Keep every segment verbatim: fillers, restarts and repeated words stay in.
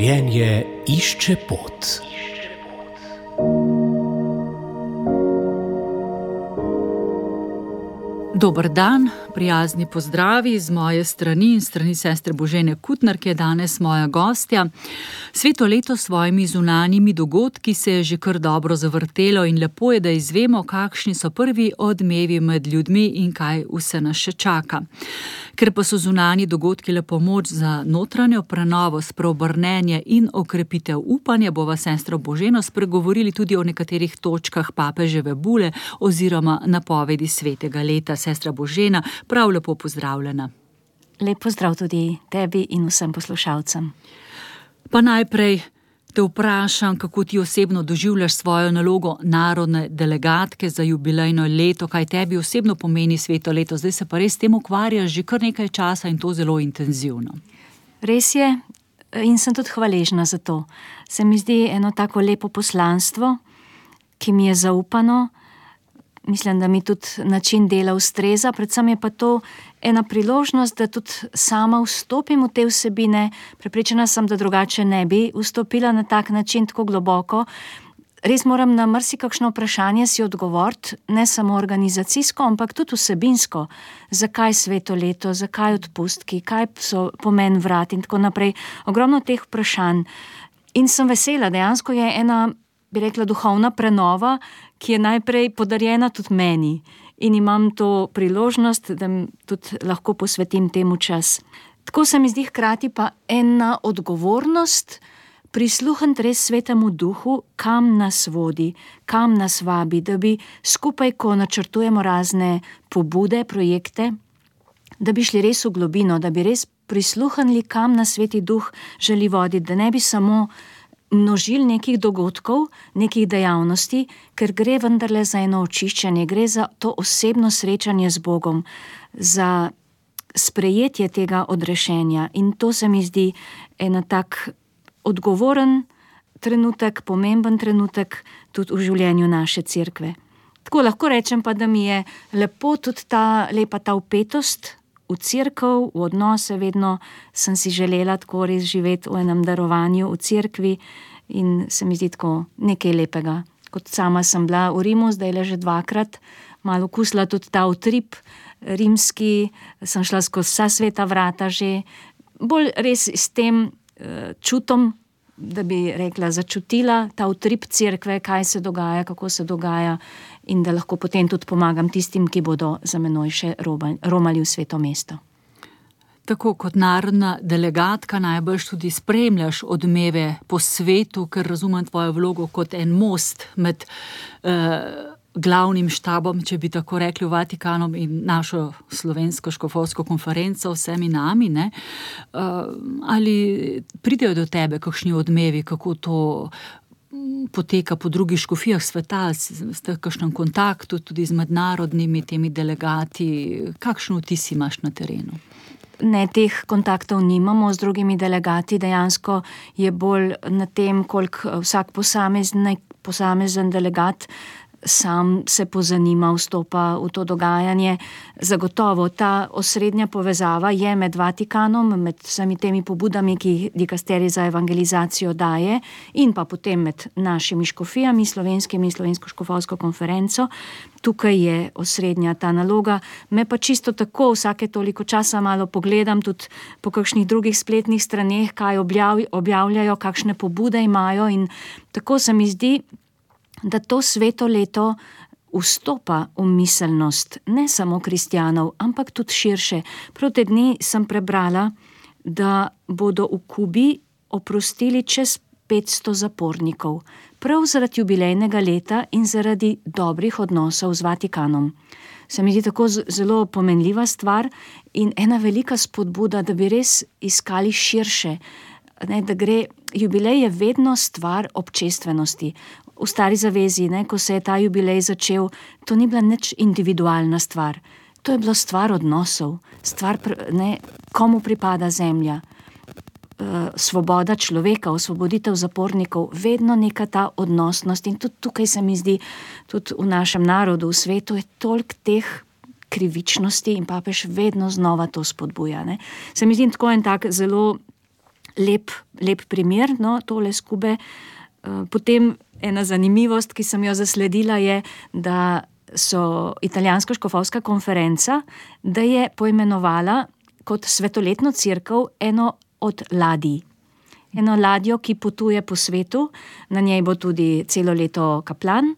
Življenje išče pot. Dober dan, prijazni pozdravi z moje strani in strani sestre Božene Kutner, ki je danes moja gostja. Sveto leto s svojimi zunanjimi dogodki se je že kar dobro zavrtelo in lepo je, da izvemo, kakšni so prvi odmevi med ljudmi in kaj vse nas še čaka. Ker pa so zunanji dogodki le pomoč za notranjo prenovo, spreobrnenje in okrepitev upanja, bova sestro Boženo spregovorili tudi o nekaterih točkah papeževe bule oziroma napovedi svetega leta. Sestra Božena, prav lepo pozdravljena. Lep pozdrav tudi tebi in vsem poslušalcem. Pa najprej te vprašam, kako ti osebno doživljaš svojo nalogo narodne delegatke za jubilejno leto, kaj tebi osebno pomeni sveto leto. Zdaj se pa res s tem ukvarjaš že kar nekaj časa in to zelo intenzivno. Res je in sem tudi hvaležna za to. Se mi zdi eno tako lepo poslanstvo, ki mi je zaupano. Mislim, da mi tudi način dela ustreza, predvsem je pa to ena priložnost, da tudi sama vstopim v te vsebine. Prepričana sem, da drugače ne bi vstopila na tak način tako globoko. Res moram na marsikakšno vprašanje si odgovoriti, ne samo organizacijsko, ampak tudi vsebinsko. Zakaj sveto leto, zakaj odpustki, kaj so pomen vrat in tako naprej. Ogromno teh vprašanj. In sem vesela, dejansko je ena, bi rekla, duhovna prenova, ki je najprej podarjena tudi meni in imam to priložnost, da tudi lahko posvetim temu čas. Tako se mi zdi hkrati pa ena odgovornost prisluhniti res svetemu duhu, kam nas vodi, kam nas vabi, da bi skupaj, ko načrtujemo razne pobude, projekte, da bi šli res v globino, da bi res prisluhnili, kam nas sveti duh želi voditi, da ne bi samo množili nekih dogodkov, nekih dejavnosti, ker gre vendarle za eno očiščenje, gre za to osebno srečanje z Bogom, za sprejetje tega odrešenja. In to se mi zdi ena tak odgovoren trenutek, pomemben trenutek tudi v življenju naše cerkve. Tako lahko rečem pa, da mi je lepo tudi ta lepa ta vpetost v cerkev, v odnose, vedno sem si želela tako res živeti v enem darovanju v cerkvi in se mi zdi tako nekaj lepega. Kot sama sem bila v Rimu, zdaj le že dvakrat, malo okusila tudi ta utrip rimski, sem šla skozi vsa sveta vrata že, bolj res s tem uh, čutom, da bi rekla, začutila ta utrip cerkve, kaj se dogaja, kako se dogaja in da lahko potem tudi pomagam tistim, ki bodo za menoj še romali v sveto mesto. Tako kot narodna delegatka najbolj tudi spremljaš odmeve po svetu, ker razumem tvojo vlogo kot en most med eh, glavnim štabom, če bi tako rekli, v Vatikanu in našo slovensko škofovsko konferenco, vsemi nami, ne? Uh, ali pridejo do tebe kakšni odmevi, kako to poteka po drugih škofijah sveta, ste v kakšnem kontaktu tudi z mednarodnimi temi delegati, kakšen vtis imaš na terenu? Ne, teh kontaktov nimamo z drugimi delegati, dejansko je bolj na tem, koliko vsak posamezen, posamezen delegat sam se pozanima, vstopa v to dogajanje. Zagotovo ta osrednja povezava je med Vatikanom, med vsemi temi pobudami, ki jih dikasterij za evangelizacijo daje, in pa potem med našimi škofijami, slovenskimi in slovensko škofovsko konferenco. Tukaj je osrednja ta naloga. Me pa čisto tako vsake toliko časa malo pogledam tudi po kakšnih drugih spletnih straneh, kaj objavljajo, kakšne pobude imajo in tako se mi zdi, da to sveto leto vstopa v miselnost ne samo kristjanov, ampak tudi širše. Prav te dni sem prebrala, da bodo v Kubi oprostili čez petsto zapornikov, prav zaradi jubilejnega leta in zaradi dobrih odnosov z Vatikanom. Se mi zdi tako zelo pomenljiva stvar in ena velika spodbuda, da bi res iskali širše, ne, da gre, jubilej je vedno stvar občestvenosti. V Stari zavezi, ne, ko se je ta jubilej začel, to ni bila nič individualna stvar. To je bilo stvar odnosov, stvar, ne, komu pripada zemlja, svoboda človeka, osvoboditev zapornikov, vedno neka ta odnosnost in tudi tukaj se mi zdi, tudi v našem narodu, v svetu je toliko teh krivičnosti in papež vedno znova to spodbuja. Ne. Se mi zdi tako en tak zelo lep, lep primer, no, tole skube. Potem ena zanimivost, ki sem jo zasledila, je, da so italijanska škofovska konferenca, da je poimenovala kot svetoletno cerkev eno od ladij. Eno ladjo, ki potuje po svetu, na njej bo tudi celo leto kaplan.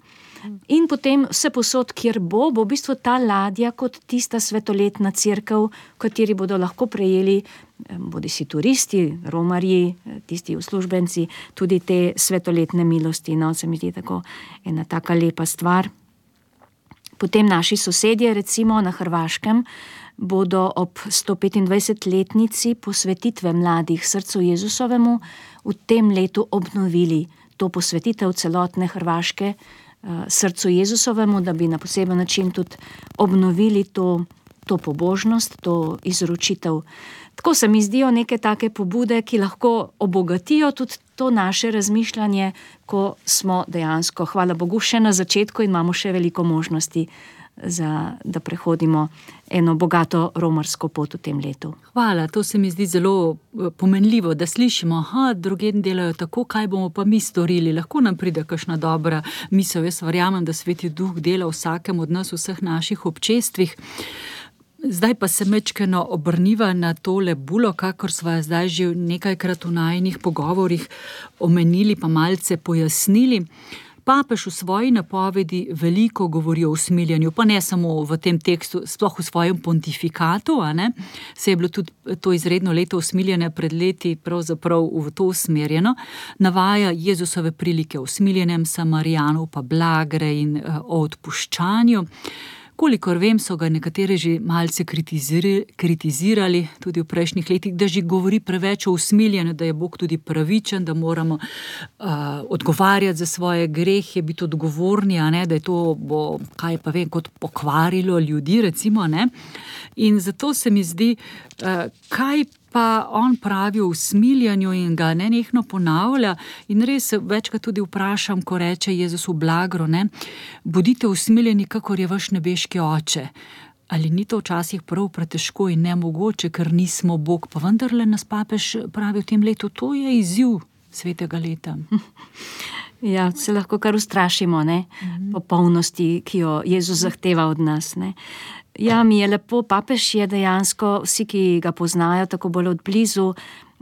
In potem vse posod, kjer bo, bo v bistvu ta ladja kot tista svetoletna cerkev, v kateri bodo lahko prejeli bodisi turisti, romarji, tisti uslužbenci, tudi te svetoletne milosti. No, se mi zdi tako ena taka lepa stvar. Potem naši sosedje, recimo na Hrvaškem, bodo ob sto petindvajsetletnici posvetitve mladih srcu Jezusovemu v tem letu obnovili to posvetitev celotne Hrvaške srcu Jezusovemu, da bi na poseben način tudi obnovili to, to pobožnost, to izročitev. Tako se mi zdijo neke take pobude, ki lahko obogatijo tudi to naše razmišljanje, ko smo dejansko, hvala Bogu, še na začetku in imamo še veliko možnosti, za, da prehodimo eno bogato romarsko pot v tem letu. Hvala, to se mi zdi zelo pomenljivo, da slišimo, aha, drugje delajo tako, kaj bomo pa mi storili. Lahko nam pride kakšna dobra misel. Jaz verjamem, da Sveti Duh dela vsakem od nas, vseh naših občestvih. Zdaj pa se mečkeno obrniva na tole bulo, kakor sva zdaj že nekajkrat v najinih pogovorih omenili, pa malce pojasnili. Papež v svoji napovedi veliko govori o usmiljenju, pa ne samo v tem tekstu, sploh v svojem pontifikatu, a ne? Se je bilo tudi to izredno leto usmiljenja pred leti pravzaprav v to usmerjeno. Navaja Jezusove prilike o usmiljenem Samarijanu, pa blagre in o odpuščanju. Kolikor vem, so ga nekateri že malce kritizirali, kritizirali tudi v prejšnjih letih, da že govori preveč o usmiljenju, da je Bog tudi pravičen, da moramo uh, odgovarjati za svoje grehe, biti odgovorni, a ne, da je to bo, kaj pa vem, kot pokvarilo ljudi, recimo, ne. In zato se mi zdi, uh, kaj pa on pravi o usmiljanju in ga nenehno ponavlja in res večkrat tudi vprašam, ko reče Jezus v blagro, ne, bodite usmiljeni, kakor je vaš nebeški oče. Ali ni to včasih prav pretežko in nemogoče, ker nismo Bog, pa vendarle nas papež pravi v tem letu, to je izziv svetega leta. Ja, se lahko kar ustrašimo, ne, mm-hmm. popolnosti, ki jo Jezus zahteva od nas, ne. Ja, mi je lepo, papež je dejansko, vsi, ki ga poznajo tako bolj od blizu,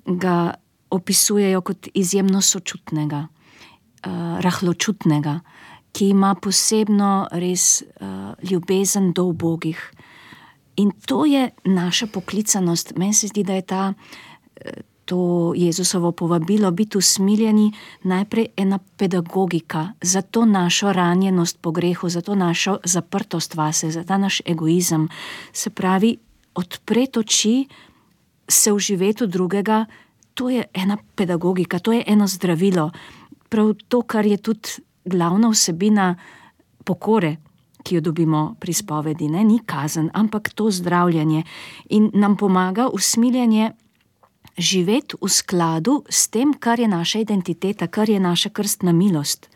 ga opisujejo kot izjemno sočutnega, uh, rahločutnega, ki ima posebno res uh, ljubezen do ubogih. In to je naša poklicanost. Meni se zdi, da je ta, to Jezusovo povabilo biti usmiljeni najprej ena pedagogika za to našo ranjenost po grehu, za to našo zaprtost vase, za ta naš egoizem. Se pravi, odpreti oči, se vživeti v drugega, to je ena pedagogika, to je eno zdravilo. Prav to, kar je tudi glavna vsebina pokore, ki jo dobimo pri spovedi, ne? Ni kazen, ampak to zdravljanje. In nam pomaga usmiljanje živeti v skladu s tem, kar je naša identiteta, kar je naša krstna milost.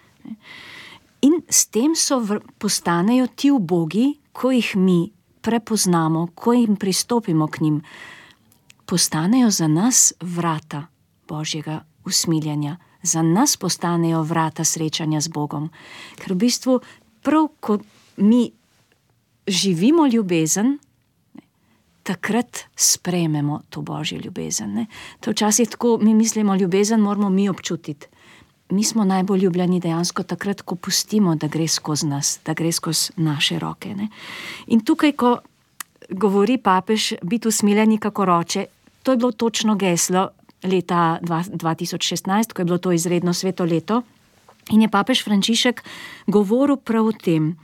In s tem so v, postanejo ti ubogi, ko jih mi prepoznamo, ko jim pristopimo k njim, postanejo za nas vrata Božjega usmiljanja. Za nas postanejo vrata srečanja z Bogom. Ker v bistvu prav, ko mi živimo ljubezen, takrat sprejmemo to Božjo ljubezen. Ne? To včasih tako, mi mislimo, ljubezen moramo mi občutiti. Mi smo najbolj ljubljeni dejansko takrat, ko pustimo, da gre skozi nas, da gre skozi naše roke. Ne? In tukaj, ko govori papež, biti usmiljeni kakor oče, to je bilo točno geslo leta dva tisoč šestnajst, ko je bilo to izredno sveto leto. In je papež Frančišek govoril prav o tem.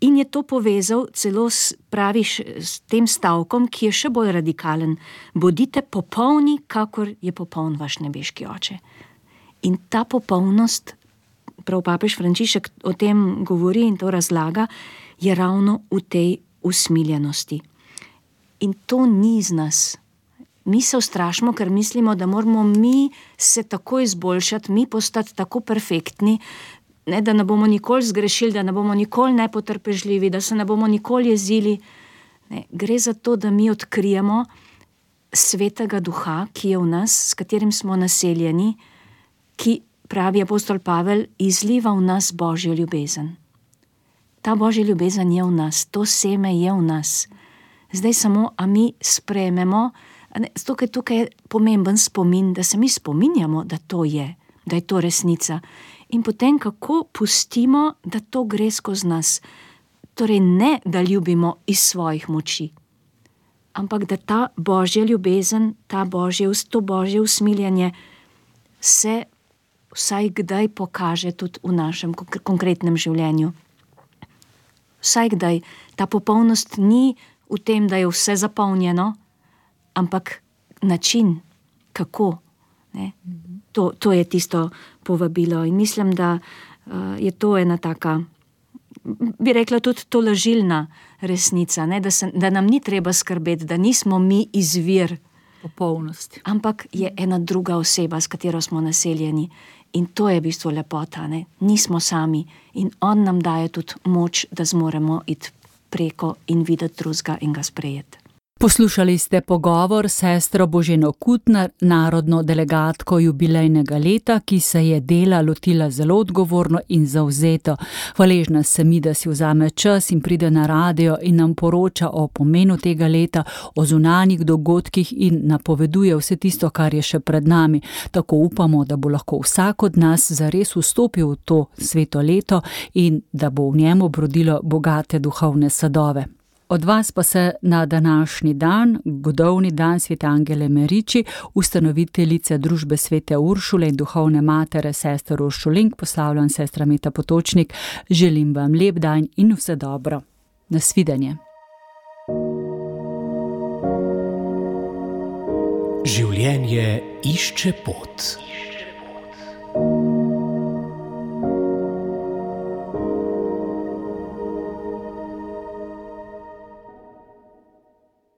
In je to povezal celo s, praviš, s tem stavkom, ki je še bolj radikalen. Bodite popolni, kakor je popoln vaš nebeški oče. In ta popolnost, prav papež Frančišek o tem govori in to razlaga, je ravno v tej usmiljenosti. In to ni z nas. Mi se ustrašimo, ker mislimo, da moramo mi se tako izboljšati, mi postati tako perfektni, ne, da ne bomo nikoli zgrešili, da ne bomo nikoli nepotrpežljivi, da se ne bomo nikoli jezili. Ne, gre za to, da mi odkrijemo, svetega duha, ki je v nas, s katerim smo naseljeni, ki, pravi apostol Pavel, izliva v nas Božjo ljubezen. Ta Božja ljubezen je v nas, to seme je v nas. Zdaj samo, a mi sprejmemo, zato ker tukaj je pomemben spomin, da se mi spominjamo, da to je, da je to resnica. In potem kako pustimo, da to gre skozi nas. Torej ne, da ljubimo iz svojih moči, ampak da ta Božja ljubezen, ta Božje, to Božje usmiljenje se vsaj kdaj pokaže tudi v našem konkretnem življenju. Vsaj kdaj. Ta popolnost ni v tem, da je vse zapolnjeno, ampak način, kako. Ne? To, to je tisto povabilo. In mislim, da uh, je to ena taka, bi rekla tudi tolažilna resnica, ne? Da, se, da nam ni treba skrbeti, da nismo mi izvir popolnosti, ampak je ena druga oseba, s katero smo naseljeni. In to je v bistvu lepota, ne? Nismo sami in on nam daje tudi moč, da zmoremo iti preko in videti drugega in ga sprejeti. Poslušali ste pogovor s sestro Boženo Kutnar, narodno delegatko jubilejnega leta, ki se je dela lotila zelo odgovorno in zavzeto. Hvaležna sem mi, da si vzame čas in pride na radio in nam poroča o pomenu tega leta, o zunanjih dogodkih in napoveduje vse tisto, kar je še pred nami. Tako upamo, da bo lahko vsak od nas zares vstopil v to sveto leto in da bo v njem obrodilo bogate duhovne sadove. Od vas pa se na današnji dan, godovni dan svete Angele Meriči, ustanoviteljice družbe svete Uršule in duhovne matere sester Uršulink, poslavljam sestra Meta Potočnik, želim vam lep dan in vse dobro. Nasvidenje. Življenje išče pot.